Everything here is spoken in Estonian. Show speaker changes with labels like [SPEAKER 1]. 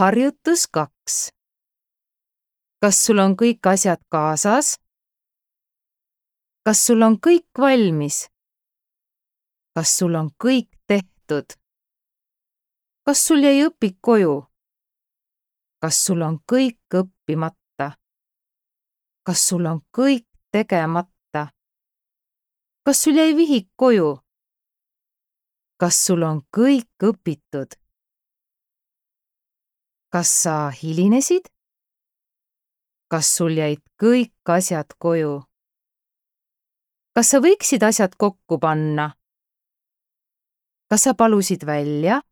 [SPEAKER 1] Harjutus 2. Kas sul on kõik asjad kaasas? Kas sul on kõik valmis? Kas sul on kõik tehtud? Kas sul jäi õpik koju? Kas sul on kõik õppimata? Kas sul on kõik tegemata? Kas sul jäi vihik koju? Kas sul on kõik õpitud? Kas sa hilinesid? Kas sul jäid kõik asjad koju? Kas sa võiksid asjad kokku panna? Kas sa palusid välja?